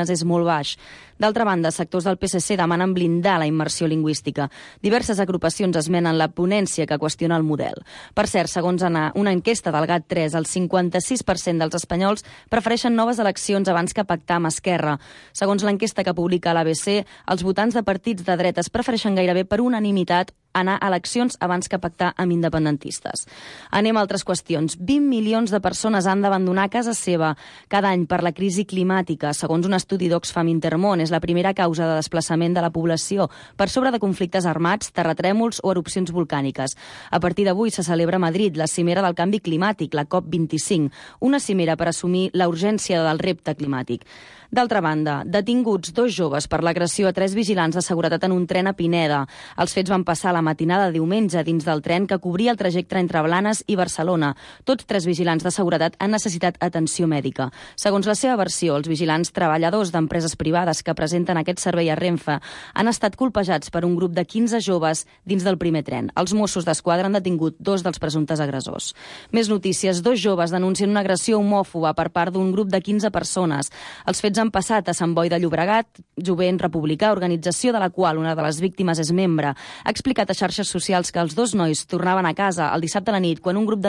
és molt baix. D'altra banda, sectors del PSC demanen blindar la immersió lingüística. Diverses agrupacions esmenen la ponència que qüestiona el model. Per cert, segons una enquesta del GAT3, el 56% dels espanyols prefereixen noves eleccions abans que pactar amb Esquerra. Segons l'enquesta que publica l'ABC, els votants de partits de dretes prefereixen gairebé per unanimitat anar a eleccions abans que pactar amb independentistes. Anem a altres qüestions. 20 milions de persones han d'abandonar casa seva cada any per la crisi climàtica. Segons un estudi d'Oxfam Intermón, és la primera causa de desplaçament de la població per sobre de conflictes armats, terratrèmols o erupcions volcàniques. A partir d'avui se celebra a Madrid la cimera del canvi climàtic, la COP25, una cimera per assumir la urgència del repte climàtic. D'altra banda, detinguts 2 joves per l'agressió a 3 vigilants de seguretat en un tren a Pineda. Els fets van passar la matinada de diumenge dins del tren que cobria el trajecte entre Blanes i Barcelona. Tots 3 vigilants de seguretat han necessitat atenció mèdica. Segons la seva versió, els vigilants treballadors d'empreses privades que presenten aquest servei a Renfe han estat colpejats per un grup de 15 joves dins del primer tren. Els Mossos d'Esquadra han detingut 2 dels presumptes agressors. Més notícies. 2 joves denuncien una agressió homòfoba per part d'un grup de 15 persones. Els fets han passat a Sant Boi de Llobregat. Jovent Republicà, organització de la qual una de les víctimes és membre, ha explicat a xarxes socials que els 2 nois tornaven a casa el dissabte a la nit quan un grup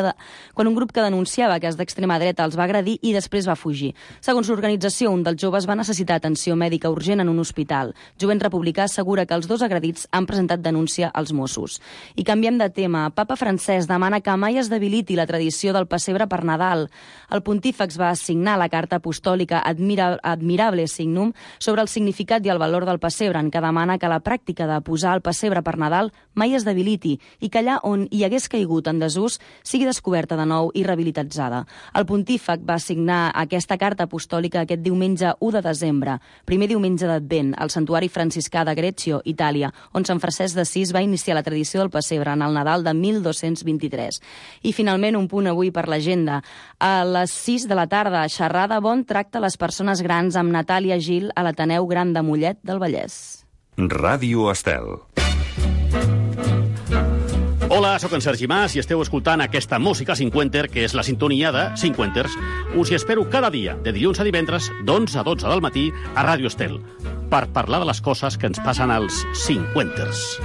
que denunciava que és d'extrema dreta els va agredir i després va fugir. Segons l'organització, un dels joves va necessitar atenció mèdica urgent en un hospital. Jovent Republicà assegura que els 2 agredits han presentat denúncia als Mossos. I canviem de tema. Papa Francesc demana que mai es debiliti la tradició del pessebre per Nadal. El pontífex va assignar la carta apostòlica Admirable Signum sobre el significat i el valor del pessebre, en què demana que la pràctica de posar el pessebre per Nadal mai es debiliti i que allà on hi hagués caigut en desús sigui descoberta de nou i rehabilitalitzada. El pontífec va signar aquesta carta apostòlica aquest diumenge 1 de desembre, primer diumenge d'Advent, al santuari franciscà de Greccio, Itàlia, on Sant Francesc d'Assís va iniciar la tradició del pessebre en el Nadal de 1223. I finalment un punt avui per l'agenda. A les 6 de la tarda, xerrada Bon tracte a les persones grans amb Natàlia Gil a l'Ateneu Gran de Mollet del Vallès. Ràdio Estel. Hola, sóc en Sergi Mas i esteu escoltant aquesta música cinquenter, que és la sintonia de Cinquenters. Us hi espero cada dia, de dilluns a divendres, d'11 a 12 del matí, a Ràdio Estel, per parlar de les coses que ens passen als cinquenters.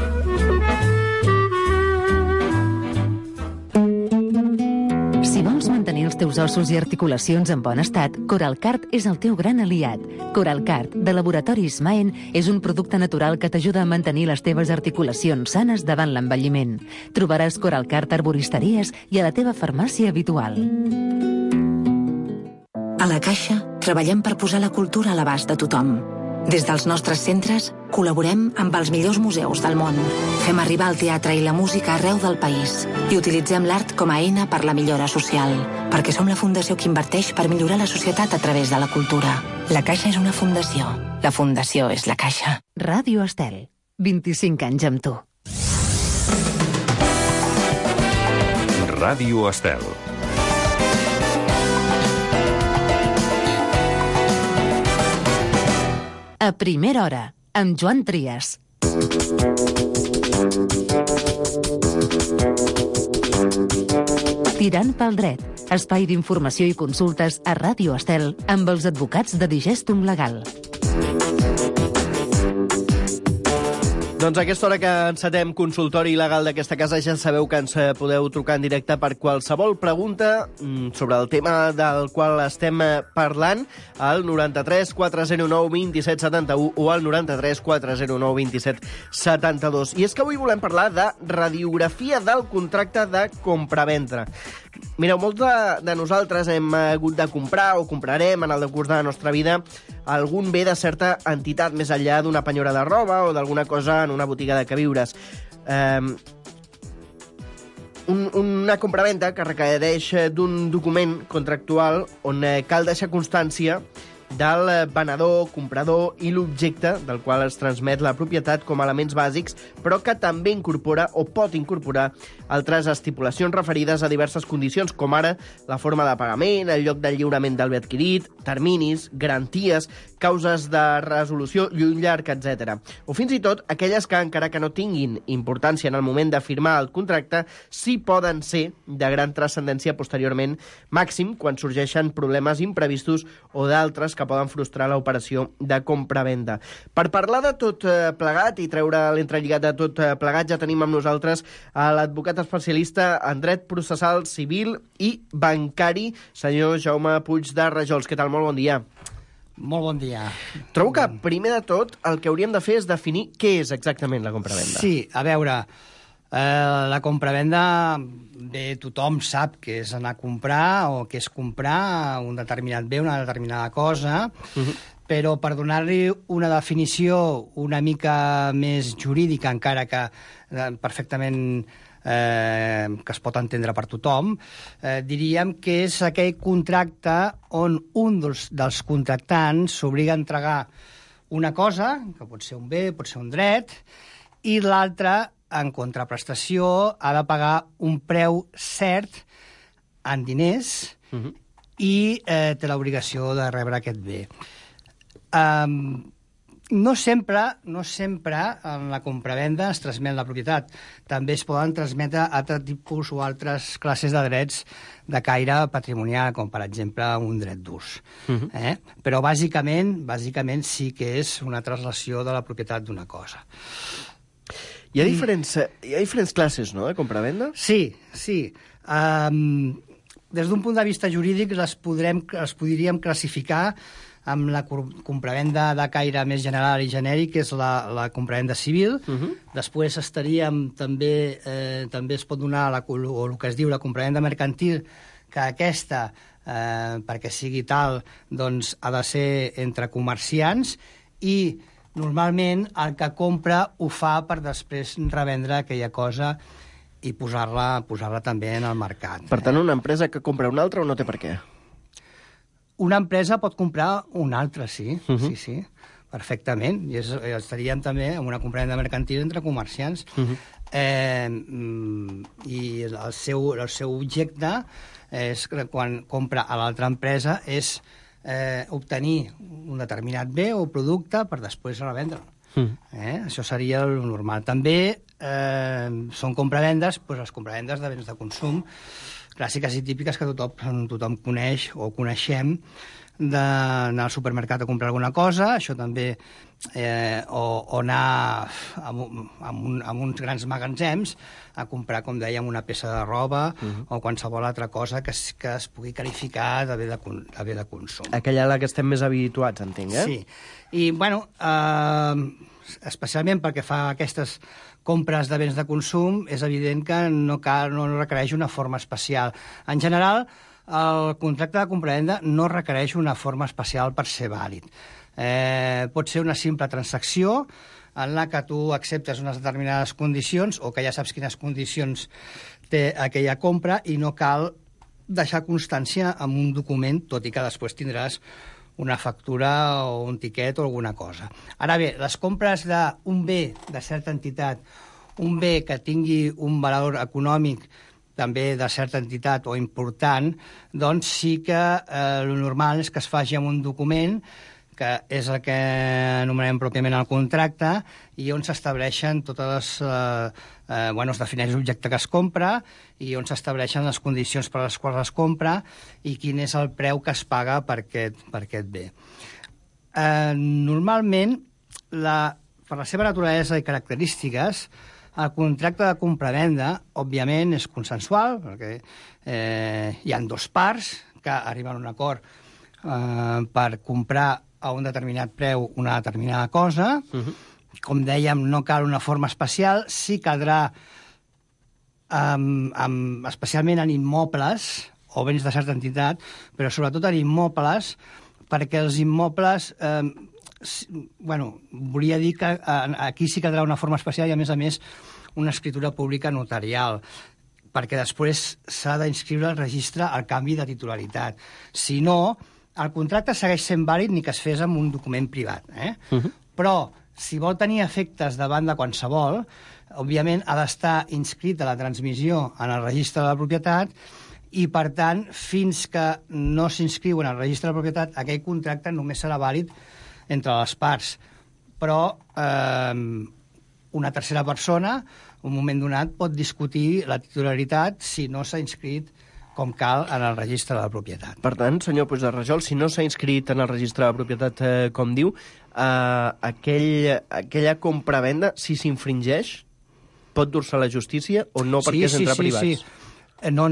Si vols mantenir els teus ossos i articulacions en bon estat, Coralcart és el teu gran aliat. Coralcart, de Laboratoris Maen, és un producte natural que t'ajuda a mantenir les teves articulacions sanes davant l'envelliment. Trobaràs Coralcart a arboristeries i a la teva farmàcia habitual. A la Caixa, treballem per posar la cultura a l'abast de tothom. Des dels nostres centres, col·laborem amb els millors museus del món. Fem arribar el teatre i la música arreu del país i utilitzem l'art com a eina per la millora social, perquè som la fundació que inverteix per millorar la societat a través de la cultura. La Caixa és una fundació. La fundació és la Caixa. Ràdio Estel. 25 anys amb tu. Ràdio Estel. A primera hora, amb Joan Trias. Tirant pel dret, espai d'informació i consultes a Ràdio Estel amb els advocats de Digestum Legal. Doncs a aquesta hora que encetem consultori legal d'aquesta casa ja sabeu que ens podeu trucar en directe per qualsevol pregunta sobre el tema del qual estem parlant al 93 409 27 71 o al 93 409 27 72. I és que avui volem parlar de radiografia del contracte de compravenda. Mireu, molts de nosaltres hem hagut de comprar o comprarem en el decurs de la nostra vida algun bé de certa entitat, més enllà d'una penyora de roba o d'alguna cosa en una botiga de queviures. Una compravenda que requereix d'un document contractual on cal deixar constància del venedor, comprador i l'objecte del qual es transmet la propietat com a elements bàsics, però que també incorpora o pot incorporar altres estipulacions referides a diverses condicions, com ara la forma de pagament, el lloc de lliurament del bé adquirit, terminis, garanties, causes de resolució i un llarg, etc. O fins i tot aquelles que, encara que no tinguin importància en el moment de firmar el contracte, sí poden ser de gran transcendència posteriorment, màxim quan sorgeixen problemes imprevistos o d'altres causes que poden frustrar l'operació de compra-venda. Per parlar de tot plegat i treure l'entrelligat de tot plegat, ja tenim amb nosaltres l'advocat especialista en dret processal, civil i bancari, senyor Jaume Puig de Rajols. Què tal? Molt bon dia. Molt bon dia. Trobo que, primer de tot, el que hauríem de fer és definir què és exactament la compravenda. Sí, a veure, la compravenda, bé, tothom sap què és anar a comprar o què és comprar un determinat bé, una determinada cosa, però per donar-li una definició una mica més jurídica, encara que perfectament que es pot entendre per tothom, diríem que és aquell contracte on un dels contractants s'obliga a entregar una cosa, que pot ser un bé, pot ser un dret, i l'altre, en contraprestació, ha de pagar un preu cert en diners i té l'obligació de rebre aquest bé. No sempre en la compravenda es transmet la propietat. També es poden transmetre altres tipus o altres classes de drets de caire patrimonial, com per exemple un dret d'ús. Però bàsicament sí que és una translació de la propietat d'una cosa. Hi ha diferents classes, no?, de compravenda? Sí. Des d'un punt de vista jurídic les podríem classificar amb la compravenda de caire més general i genèric, que és la compravenda civil. Després estaríem també es pot donar el que es diu la compravenda mercantil, que aquesta, perquè sigui tal, doncs ha de ser entre comerciants, i normalment el que compra ho fa per després revendre aquella cosa i posar-la també en el mercat. Per tant, una empresa que compra una altra o no té per què? Una empresa pot comprar una altra, sí, sí, perfectament. I estaríem també en una compravenda mercantil entre comerciants. I el seu objecte és que quan compra a l'altra empresa és obtenir un determinat bé o producte per després revendre'l. Això seria el normal. També són compravendes, les compravendes de béns de consum, clàssiques i típiques que tothom coneix o coneixem, d'anar al supermercat a comprar alguna cosa, això també, o anar a uns grans magatzems a comprar, com dèiem, una peça de roba o qualsevol altra cosa que es pugui qualificar de bé de consum. Aquella a la que estem més habituats, entenc, Sí. I, bueno, especialment perquè fa aquestes compres de béns de consum, és evident que no requereix una forma especial. En general, el contracte de compravenda no requereix una forma especial per ser vàlid. Pot ser una simple transacció en la que tu acceptes unes determinades condicions o que ja saps quines condicions té aquella compra i no cal deixar constància en un document, tot i que després tindràs una factura o un tiquet o alguna cosa. Ara bé, les compres d'un bé de certa entitat, un bé que tingui un valor econòmic també de certa entitat o important, doncs sí que el normal és que es faci amb un document que és el que anomenem pròpiament el contracte i on s'estableixen totes les... es defineix l'objecte que es compra i on s'estableixen les condicions per les quals es compra i quin és el preu que es paga per aquest bé. Normalment, per la seva naturalesa i característiques, el contracte de compravenda, òbviament, és consensual, perquè hi ha dues parts que arriben a un acord per comprar a un determinat preu una determinada cosa. Com dèiem, no cal una forma especial, sí caldrà, especialment en immobles o béns de certa entitat, però sobretot en immobles, perquè els immobles... volia dir que aquí sí caldrà una forma especial i, a més, una escritura pública notarial, perquè després s'ha d'inscriure al registre el canvi de titularitat. Si no, el contracte segueix sent vàlid ni que es fes amb un document privat. Però, si vol tenir efectes davant de qualsevol, òbviament ha d'estar inscrit a la transmissió en el registre de la propietat i, per tant, fins que no s'inscriu en el registre de la propietat, aquell contracte només serà vàlid entre les parts. Però una tercera persona, en un moment donat, pot discutir la titularitat si no s'ha inscrit com cal en el registre de la propietat. Per tant, senyor Puigderrajol, si no s'ha inscrit en el registre de la propietat, com diu, aquella compravenda, si s'infringeix, pot dur-se a la justícia o no, perquè és entre privats? Sí. No.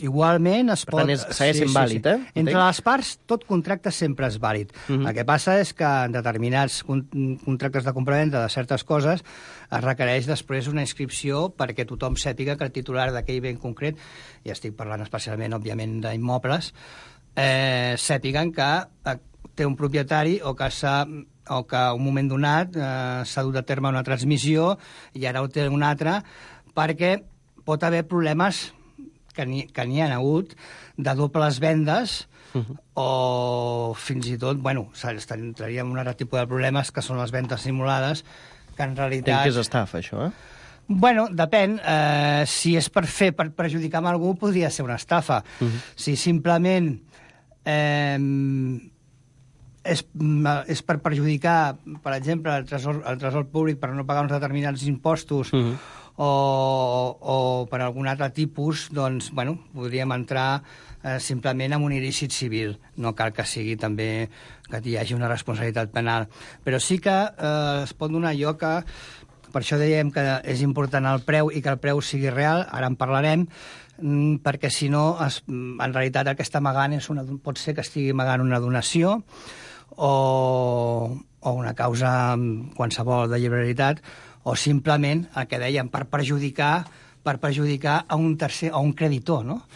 Igualment es pot... Per tant, segueix sent vàlid, eh? Entre les parts, tot contracte sempre és vàlid. El que passa és que en determinats contractes de compravenda de certes coses es requereix després una inscripció perquè tothom sàpiga que el titular d'aquell bé concret, i estic parlant especialment, òbviament, d'immobles, sàpiguen que té un propietari o que un moment donat s'ha dut a terme una transmissió i ara ho té un altre, perquè pot haver problemes, que n'hi ha hagut, de dobles vendes, o fins i tot, entraríem en un altre tipus de problemes, que són les vendes simulades, que en realitat... Entenc que és estafa, això, Depèn. Si és per perjudicar a algú, podria ser una estafa. Si simplement és per perjudicar, per exemple, el tresor públic per no pagar uns determinats impostos, o per algun altre tipus, doncs, podríem entrar simplement en un il·lícit civil. No cal que sigui també que hi hagi una responsabilitat penal. Però sí que es pot donar lloc a... Per això dèiem que és important el preu i que el preu sigui real, ara en parlarem, perquè si no, en realitat el que està amagant pot ser que estigui amagant una donació o una causa qualsevol de lliberalitat, o simplement el que dèiem, per perjudicar a un tercer, a un creditor, no?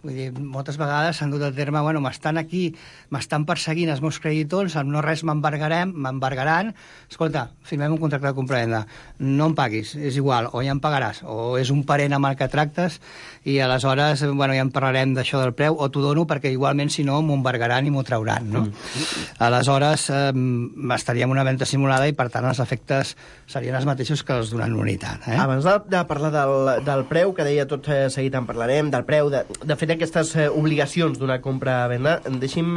Vull dir, moltes vegades s'han dut a terme, m'estan perseguint els meus creditors, amb no res m'embargaran, escolta, firmem un contracte de compravenda, no em paguis, és igual, o ja em pagaràs, o és un parent amb el que tractes, i aleshores, ja en parlarem d'això del preu, o t'ho dono perquè igualment, si no, m'ho embargaran i m'ho trauran, no? Aleshores, estaríem una venda simulada i, per tant, els efectes serien els mateixos que els d'una nul·litat. Abans de parlar del preu, que deia tot seguit en parlarem, del preu, de fet, aquestes obligacions d'una compra-venda, deixi'm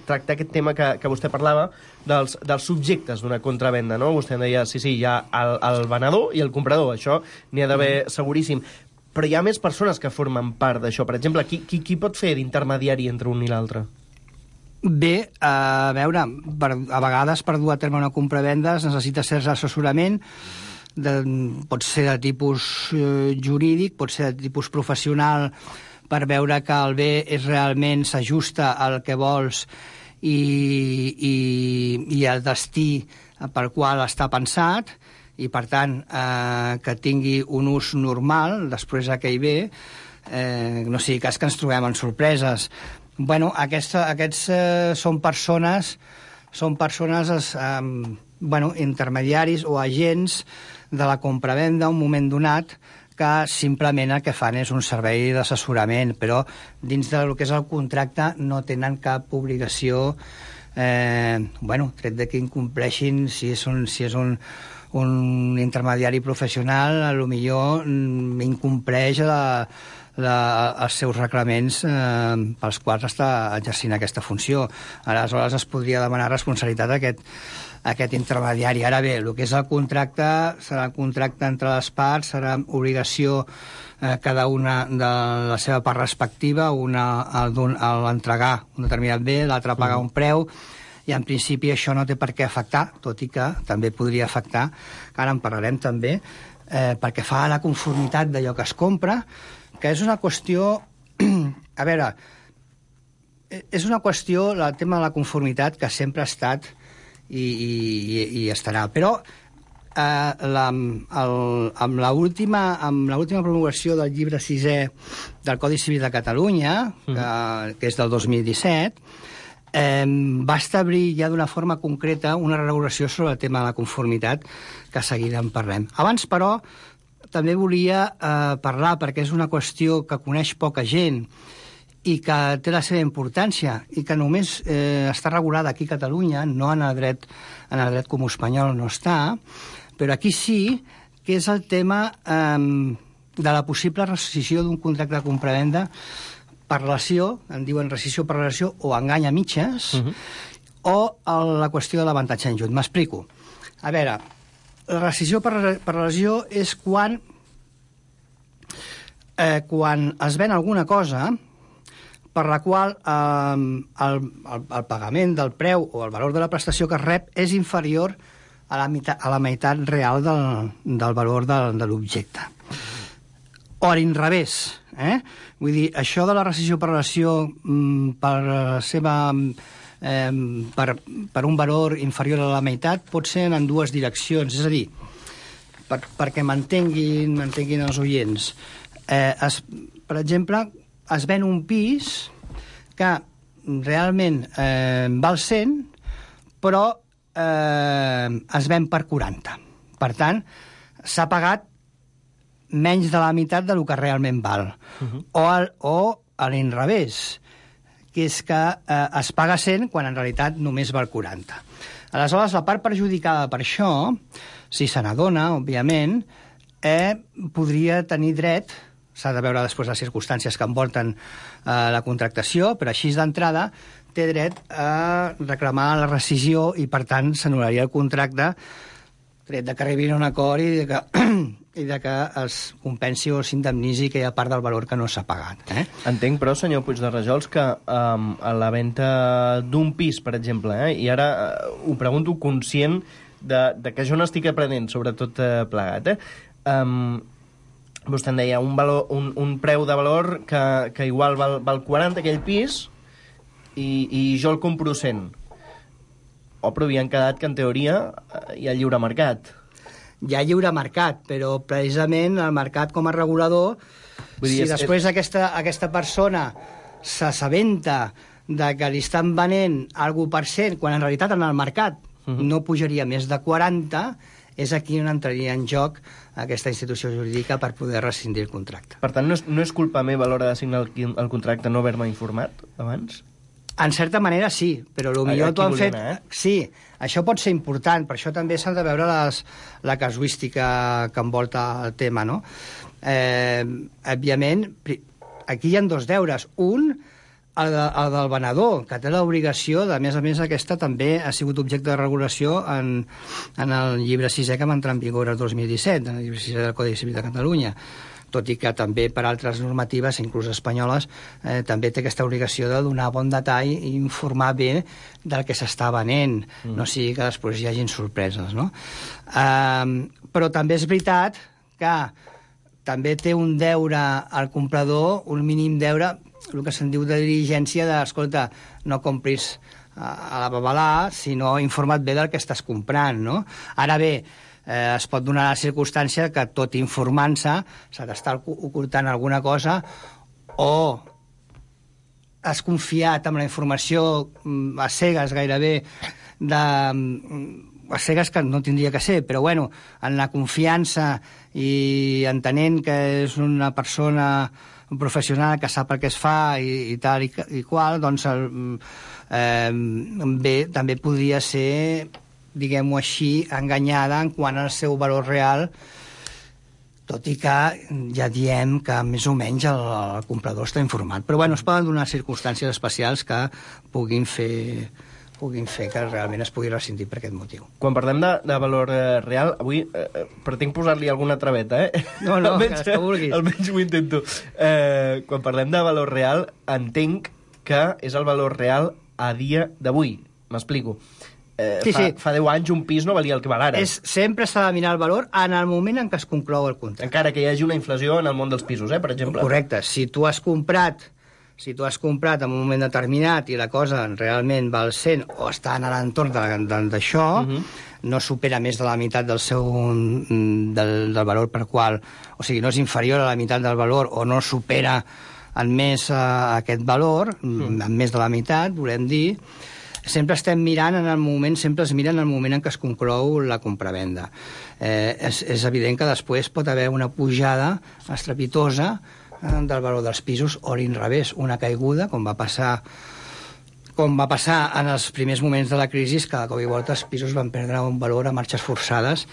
tractar aquest tema que vostè parlava dels subjectes d'una contravenda, no? Vostè em deia, sí, hi ha el venedor i el comprador, això n'hi ha d'haver seguríssim. Però hi ha més persones que formen part d'això. Per exemple, qui pot fer d'intermediari entre un i l'altre? Bé, a veure, a vegades per dur a terme una compra-venda es necessita cert assessorament, pot ser de tipus jurídic, pot ser de tipus professional, per veure que el bé realment s'ajusta al que vols i al destí pel qual està pensat, i per tant que tingui un ús normal després d'aquell bé, no sigui cas que ens trobem en sorpreses. Aquests són persones intermediaris o agents de la compravenda un moment donat, que simplement el que fan és un servei d'assessorament, però dins del que és el contracte no tenen cap obligació, tret de que incompleixin, si és un intermediari professional, potser incompleix els seus reglaments pels quals està exercint aquesta funció. Aleshores es podria demanar responsabilitat a aquest intermediari. Ara bé, el que és el contracte serà un contracte entre les parts, serà obligació cada una de la seva part respectiva, una a l'entregar un determinat bé, l'altra a pagar un preu, i en principi això no té per què afectar, tot i que també podria afectar, que ara en parlarem també, perquè fa a la conformitat d'allò que es compra, que és una qüestió... A veure, és una qüestió, el tema de la conformitat, que sempre ha estat i estarà. Però amb l'última promulgació del llibre 6è del Codi Civil de Catalunya, que és del 2017, va establir ja d'una forma concreta una regulació sobre el tema de la conformitat, que seguida en parlem. Abans, però, també volia parlar, perquè és una qüestió que coneix poca gent i que té la seva importància i que només està regulada aquí a Catalunya, no en el dret comú espanyol no està, però aquí sí, que és el tema de la possible rescissió d'un contracte de compravenda per relació, en diuen rescissió per relació o engany a mitges, o la qüestió de l'avantatge injust. M'explico. A veure, la rescissió per relació és quan quan es ven alguna cosa per la qual el pagament del preu o el valor de la prestació que es rep és inferior a la meitat real del valor de l'objecte. O a l'inrevés. Vull dir, això de la rescissió per relació per un valor inferior a la meitat pot ser en dues direccions. És a dir, perquè m'entenguin els oients. Per exemple, es ven un pis que realment val 100, però es ven per 40. Per tant, s'ha pagat menys de la meitat del que realment val. O a l'inrevés, que és que es paga 100 quan en realitat només val 40. Aleshores, la part perjudicada per això, si se n'adona, òbviament, podria tenir dret, s'ha de veure després les circumstàncies que envolten la contractació, però així d'entrada té dret a reclamar la rescissió i, per tant, s'anul·laria el contracte, tret de que arribin a un acord i de que es compensi o s'indemnitzi aquella part del valor que no s'ha pagat. Entenc, però, senyor Puigderrajols, que a la venda d'un pis, per exemple, i ara ho pregunto conscient de que jo n'estic aprenent, sobretot plegat, vostè en deia un preu de valor que igual val 40 aquell pis i jo el compro 100. Però havien quedat que en teoria hi ha lliure mercat. Hi ha lliure mercat, però precisament el mercat com a regulador, després aquesta persona s'assabenta de que li estan venent algú per 100, quan en realitat en el mercat no pujaria més de 40, és aquí on entraria en joc aquesta institució jurídica per poder rescindir el contracte. Per tant, no és culpa meva a l'hora de signar el contracte no haver-me informat abans? En certa manera sí, però potser t'ho han fet... Sí, això pot ser important, per això també s'ha de veure la casuística que envolta el tema, no? Òbviament, aquí hi ha dos deures. Un, el del venedor, que té l'obligació, a més, aquesta també ha sigut objecte de regulació en el llibre 6è que va entrar en vigor el 2017, en el llibre 6è del Codi Civil de Catalunya, tot i que també per altres normatives, inclús espanyoles, també té aquesta obligació de donar bon detall i informar bé del que s'està venent, no sigui que després hi hagin sorpreses, no? Però també és veritat que també té un deure al comprador, un mínim deure, el que se'n diu de diligència escolta, no compris a la babalà, sinó informa't bé del que estàs comprant, no? Ara bé, es pot donar la circumstància que tot informant-se s'ha d'estar ocultant alguna cosa o has confiat en la informació a cegues gairebé a cegues que no tindria que ser, però bueno, en la confiança i entenent que és una persona un professional que sap el que es fa i tal i qual, doncs bé, també podria ser, diguem-ho així, enganyada en quant al seu valor real, tot i que ja diem que més o menys el comprador està informat. Però bueno, es poden donar circumstàncies especials que puguin fer que realment es pugui rescindir per aquest motiu. Quan parlem de valor real, avui pretenc posar-li alguna traveta, No, almenys, que vulguis. Almenys ho intento. Quan parlem de valor real, entenc que és el valor real a dia d'avui. M'explico. Sí. Fa 10 anys un pis no valia el que val ara. Sempre s'ha de mirar el valor en el moment en què es conclou el contracte. Encara que hi hagi una inflació en el món dels pisos, per exemple. Correcte. Si tu has comprat en un moment determinat i la cosa realment val 100 o està en l'entorn d'això, no supera més de la meitat del valor per qual... O sigui, no és inferior a la meitat del valor o no supera en més aquest valor, en més de la meitat, volem dir, sempre estem mirant sempre es mira en el moment en què es conclou la compravenda. És evident que després pot haver una pujada estrepitosa del valor dels pisos o a l'inrevés, una caiguda, com va passar en els primers moments de la crisi, que de cop i volta els pisos van perdre un valor a marxes forçades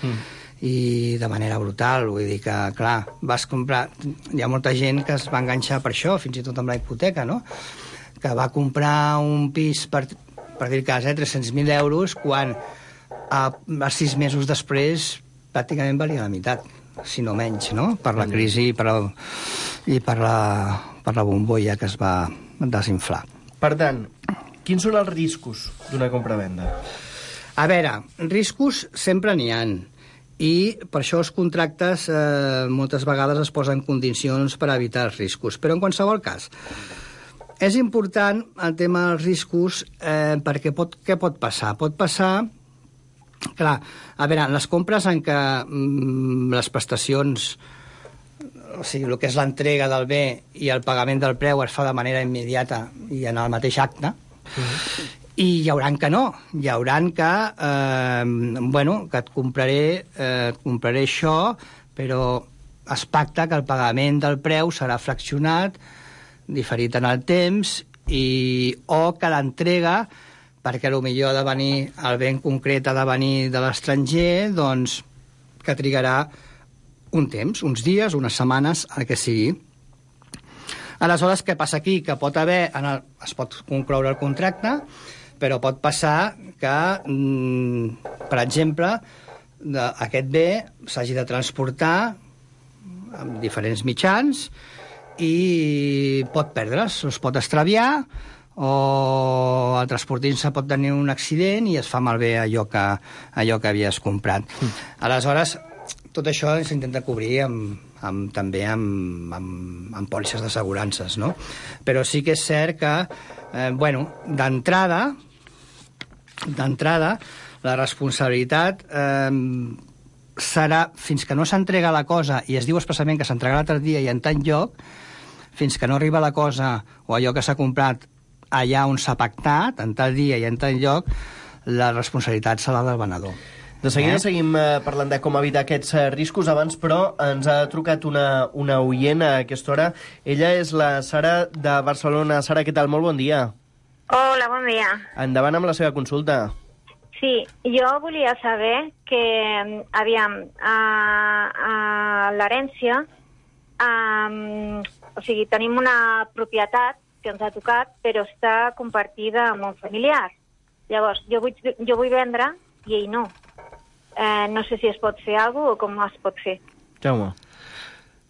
i de manera brutal. Vull dir que, clar, vas comprar... Hi ha molta gent que es va enganxar per això, fins i tot amb la hipoteca, no? Que va comprar un pis per dir el cas, 300.000 euros, quan a 6 mesos després pràcticament valia la meitat, si no menys, no? Per la crisi, i per la bombolla que es va desinflar. Per tant, quins són els riscos d'una compra-venda? A veure, riscos sempre n'hi ha, i per això els contractes moltes vegades es posen condicions per evitar els riscos. Però en qualsevol cas, és important el tema dels riscos perquè què pot passar? Pot passar, clar, a veure, les compres en què les prestacions, o sigui, el que és l'entrega del bé i el pagament del preu es fa de manera immediata i en el mateix acte, i hi hauran que no, hi hauran que, que et compraré això, però es pacta que el pagament del preu serà fraccionat, diferit en el temps, o que l'entrega, perquè potser ha de venir, el ben concret ha de venir de l'estranger, doncs que trigarà un temps, uns dies, unes setmanes, el que sigui. Aleshores, què passa aquí? Que pot haver, es pot concloure el contracte, però pot passar que, per exemple, aquest bé s'hagi de transportar amb diferents mitjans i pot perdre's, es pot extraviar, o el transportista pot tenir un accident i es fa malbé allò que havies comprat. Aleshores, tot això s'intenta cobrir també amb pòlisses d'assegurances, no? Però sí que és cert que, d'entrada, la responsabilitat serà, fins que no s'entrega la cosa, i es diu expressament que s'entregarà l'altre dia i en tant lloc, fins que no arriba la cosa o allò que s'ha comprat allà on s'ha pactat, en tal dia i en tal lloc, la responsabilitat serà del venedor. De seguida seguim parlant de com evitar aquests riscos. Abans, però, ens ha trucat una oient a aquesta hora. Ella és la Sara de Barcelona. Sara, què tal? Molt bon dia. Hola, bon dia. Endavant amb la seva consulta. Sí, jo volia saber que, aviam, a l'herència, o sigui, tenim una propietat que ens ha tocat, però està compartida amb un familiar. Llavors, jo vull vendre i ell no. No sé si es pot fer alguna cosa o com es pot fer. Jaume.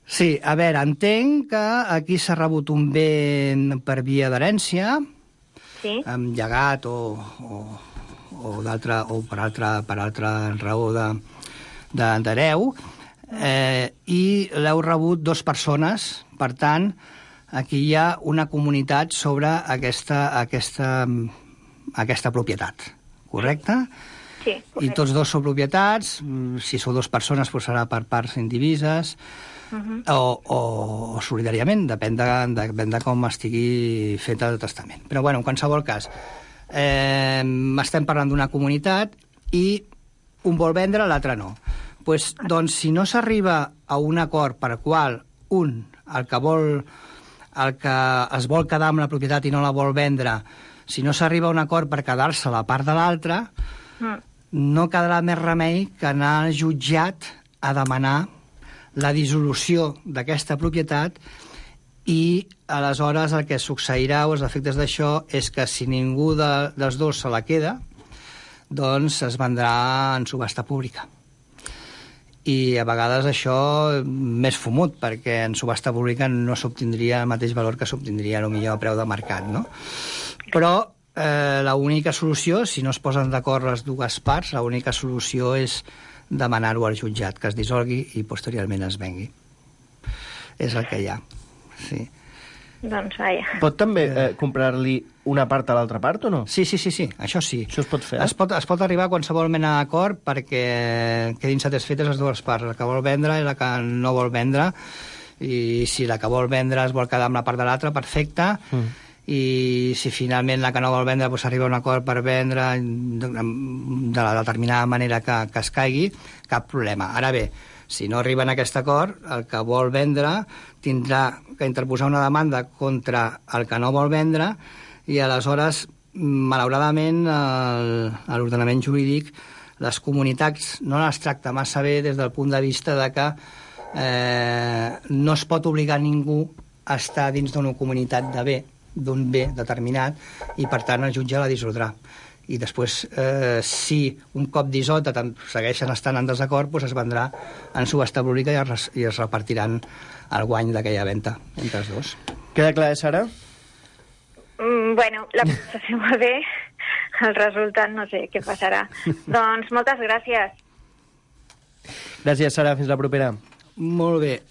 Sí, a veure, entenc que aquí s'ha rebut un bé per via d'herència, sí, amb llegat o per altra raó d'hereu, i l'heu rebut dues persones. Per tant, aquí hi ha una comunitat sobre aquesta propietat, correcte? Sí, i tots dos són propietats. Si sou dues persones, doncs serà per parts indivises, o solidàriament, depèn de com estigui fet el testament. Però, en qualsevol cas, estem parlant d'una comunitat i un vol vendre, l'altre no. Doncs, si no s'arriba a un acord per qual el que es vol quedar amb la propietat i no la vol vendre, si no s'arriba a un acord per quedar-se la part de l'altre, no quedarà més remei que anar al jutjat a demanar la dissolució d'aquesta propietat, i aleshores el que succeirà, o els efectes d'això, és que si ningú dels dos se la queda, doncs es vendrà en subhasta pública. I a vegades això més fumut, perquè en subhasta pública no s'obtindria el mateix valor que s'obtindria potser a preu de mercat, no? Però l'única solució, si no es posen d'acord les dues parts, l'única solució és demanar-ho al jutjat, que es dissolgui i posteriorment es vengui. És el que hi ha, sí. Doncs vaja. Pot també comprar-li una part a l'altra part o no? Sí, això sí. Això es pot fer? Es pot arribar a qualsevol mena d'acord perquè quedin satisfetes les dues parts, la que vol vendre i la que no vol vendre, i si la que vol vendre es vol quedar amb la part de l'altra, perfecte, i si finalment la que no vol vendre s'arriba a un acord per vendre de la determinada manera que es caigui, cap problema. Ara bé, si no arriben a aquest acord, el que vol vendre tindrà que interposar una demanda contra el que no vol vendre, i aleshores, malauradament, a l'ordenament jurídic, les comunitats no les tracta massa bé des del punt de vista de que no es pot obligar ningú a estar dins d'una comunitat d'un bé determinat, i per tant el jutge la dissoldrà. i després, si un cop dissota segueixen estant en desacord, doncs es vendrà en subhasta pública i es repartiran el guany d'aquella venda entre els dos. Queda clar, Sara? Bueno, la presentació va bé, el resultat no sé què passarà. Doncs moltes gràcies. Gràcies, Sara. Fins la propera. Molt bé.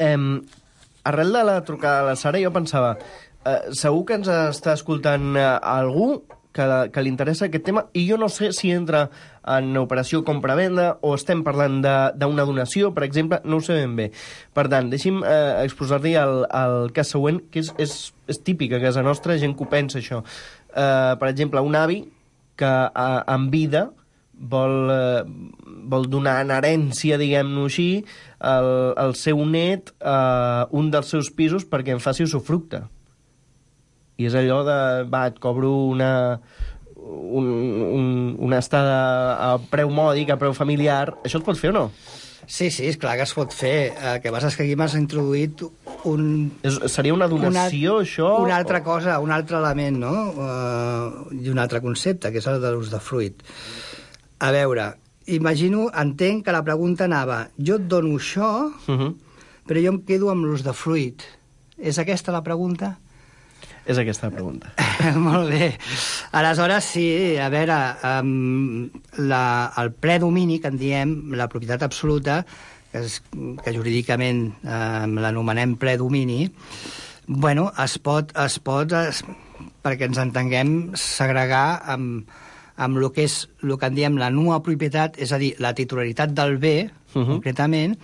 Arrel de la trucada de la Sara, jo pensava, segur que ens està escoltant algú que li interessa aquest tema, i jo no sé si entra en operació compra-venda o estem parlant d'una donació, per exemple, no ho sé ben bé. Per tant, deixi'm exposar-li el cas següent, que és típic a casa nostra, gent que ho pensa, això. Per exemple, un avi que en vida vol donar en herència, diguem-ho així, al seu net un dels seus pisos perquè en faci usufructe. I és allò de, et cobro una estada a preu mòdic, a preu familiar. Això es pot fer o no? Sí, és clar que es pot fer. El que passa és que aquí m'has introduït seria una donació, això? Una altra cosa, un altre element, no? I un altre concepte, que és el de l'usdefruit. A veure, entenc que la pregunta anava, jo et dono això, però jo em quedo amb l'usdefruit. És aquesta la pregunta? És aquesta la pregunta. Molt bé. Aleshores, sí, a veure, el predomini, que en diem, la propietat absoluta, que jurídicament l'anomenem predomini, bueno, es pot, perquè ens entenguem, segregar amb el que és el que en diem la nua propietat, és a dir, la titularitat del bé, concretament,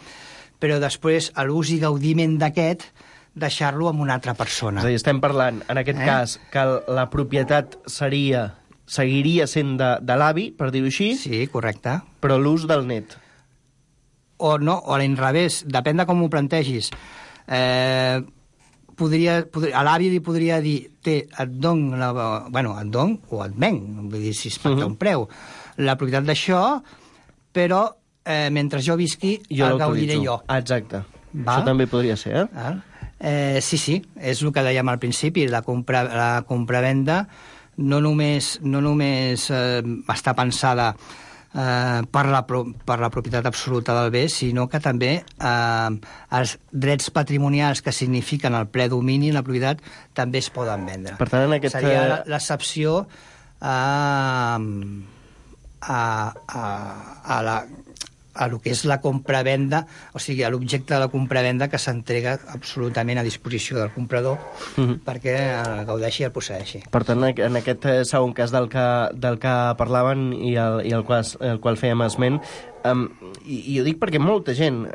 però després l'ús i gaudiment d'aquest deixar-lo amb una altra persona. És a dir, estem parlant, en aquest cas, que la propietat seguiria sent de l'avi, per dir-ho així. Sí, correcte. Però l'ús del net. O no, o a l'inrevés, depèn de com ho plantegis. A l'avi li podria dir, et dono o et venc, vull dir, si es pacta un preu, la propietat d'això, però mentre jo visqui, el gaudiré jo. Exacte. Això també podria ser, Sí, és el que dèiem al principi, la compravenda no només està pensada per la propietat absoluta del bé, sinó que també els drets patrimonials que signifiquen el ple domini en la propietat també es poden vendre. Per tant, seria l'excepció a lo que és la compravenda, o sigui, a l'objecte de la compravenda que s'entrega absolutament a disposició del comprador perquè el gaudeixi i el posseeixi. Per tant, en aquest segon cas del que parlaven i el qual fèiem esment, i ho dic perquè molta gent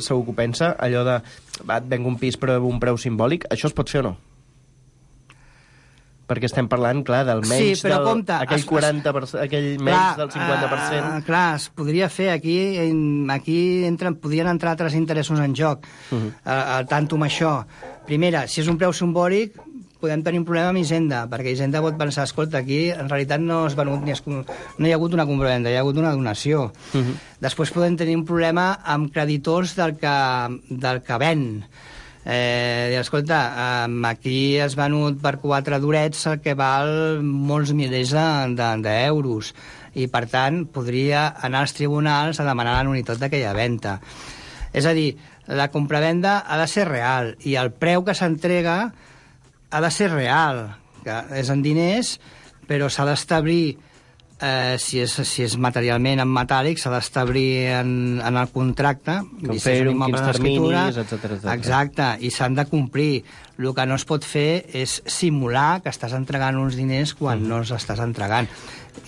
segur que ho pensa, allò de et venc un pis però un preu simbòlic, això es pot fer o no? Perquè estem parlant, clar, del menys, aquell 40%, aquell menys del 50%. Clar, es podria fer. Aquí podrien entrar altres interessos en joc. Al tanto amb això. Primera, si és un preu simbòlic, podem tenir un problema amb Hisenda, perquè Hisenda pot pensar, escolta, aquí en realitat no hi ha hagut una compravenda, hi ha hagut una donació. Després podem tenir un problema amb creditors del que ven. Escolta, aquí has venut per 4 durets el que val molts milers d'euros i per tant podria anar als tribunals a demanar la nul·litat d'aquella venda. És a dir, la compravenda ha de ser real i el preu que s'entrega ha de ser real, que és en diners, però s'ha d'establir, si és materialment en metàl·lic, s'ha d'establir en el contracte, quins terminis, etcètera. Exacte, i s'han de complir. El que no es pot fer és simular que estàs entregant uns diners quan no els estàs entregant.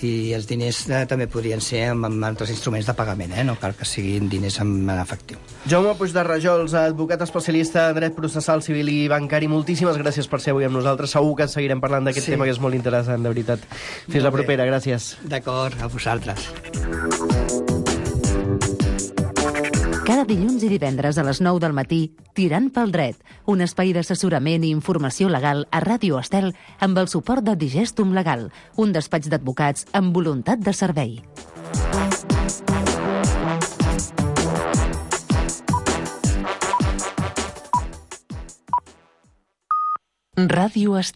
I els diners també podrien ser amb altres instruments de pagament, no cal que siguin diners en efectiu. Jaume Puig de Rajols, advocat especialista en dret processal, civil i bancari, moltíssimes gràcies per ser avui amb nosaltres. Segur que seguirem parlant d'aquest tema, que és molt interessant, de veritat. Fins la propera, gràcies. D'acord, a vosaltres. Cada dilluns i divendres a les 9 del matí, Tirant pel dret, un espai d'assessorament i informació legal a Ràdio Estel amb el suport de Digestum Legal, un despatx d'advocats amb voluntat de servei. Ràdio Estel.